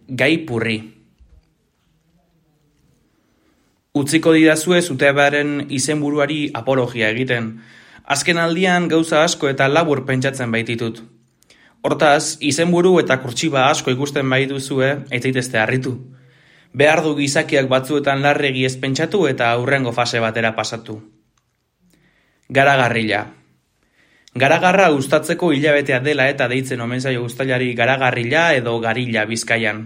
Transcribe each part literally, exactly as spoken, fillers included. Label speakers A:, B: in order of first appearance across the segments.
A: gai purri. Utziko didazue zuteabaren izenburuari apologia egiten. Azken aldian gauza asko eta labur pentsatzen baititut. Hortaz, izenburu eta kurtsiba asko ikusten baituzue, ez zaitezte harritu. Behar du gizakiak batzuetan larregi ez pentsatu eta aurrengo fase batera pasatu. Garagarrila. Garagarra uztatzeko hilabetea dela eta deitzen omen zaio uztailari garagarrila edo garila Bizkaian.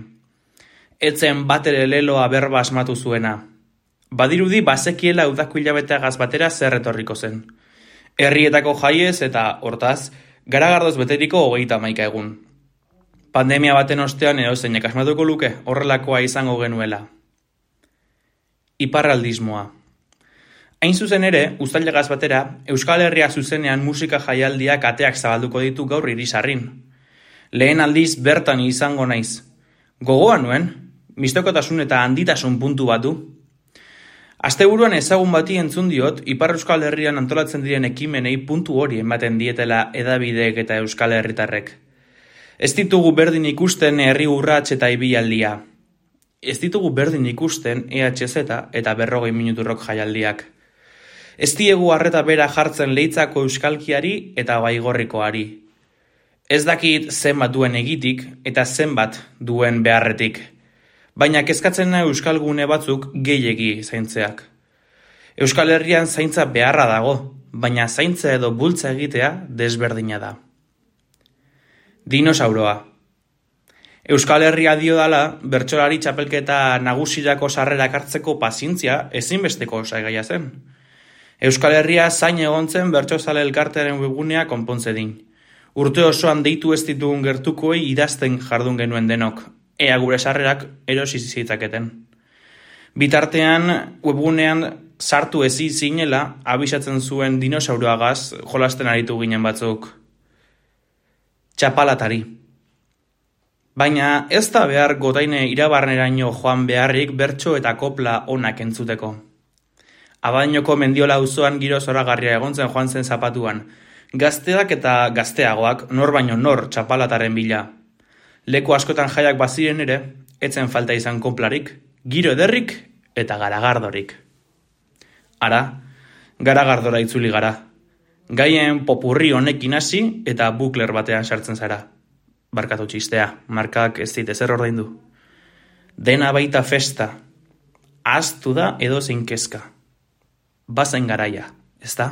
A: Etzen batere leloa berba asmatu zuena. Badirudi bazekiela udako hilabeteagaz batera zer etorriko zen. Herrietako jaiez eta, hortaz, garagardoz beteriko hogeita hamaika egun. Pandemia baten ostean erozeinek asmatuko luke horrelakoa izango genuela. Iparraldismoa. Hain zuzen ere, uztailagaz batera, Euskal Herria zuzenean musika jaialdiak ateak zabalduko ditu gaur irisarrin. Lehen aldiz bertan izango naiz. Gogoan nuen, mistokotasun eta handitasun puntu bat du. Asteburuan ezagun bati entzun diot, Ipar Euskal Herrian antolatzen diren ekimenei puntu hori ematen dietela hedabideek eta Euskal Herritarrek. Ez ditugu berdin ikusten herri urrats eta ibilaldia. Ez ditugu berdin ikusten E H Z eta berrogei minuturrok jaialdiak. Ez diegu arreta bera jartzen leitzako euskalkiari eta baigorrikoari. Ez dakit zenbat duen egitik eta zenbat duen beharretik. Baina kezkatzen nahi euskalgune batzuk gehiegi zaintzeak. Euskal Herrian zaintza beharra dago, baina zaintza edo bultza egitea desberdina da. Dinosauroa. Euskal Herria dio dala, bertsolari txapelketa nagusirako sarrerak hartzeko pazientzia ezinbesteko osagaia zen. Euskal Herria zain egon zen bertsozale elkartearen webgunea konpontze din. Urte osoan deitu ez ditugun gertukoei idazten jardun genuen denok, ea gure sarrerak erosi zitzaketen. Bitartean, webgunean sartu ezi zinela abisatzen zuen dinosauroagaz jolasten aritu ginen batzuk. Txapalatari. Baina ez da behar gotaine irabarneraino joan beharrik bertso eta kopla onak entzuteko. Abadainoko Mendiola auzoan giro zoragarria egon zen joan zen zapatuan. Gazteak eta gazteagoak nor baino nor txapalataren bila. Leku askotan jaiak baziren ere, etzen falta izan koplarik, giro ederrik eta garagardorik. Ara, garagardora itzuli gara. Gaien popurri honekin hasi eta bukler batean sartzen zara. Barkatu txistea, markak ez dit ezer ordaindu. Dena baita festa. Ahaztu da edo zein kezka. Bazen garaia, ez da?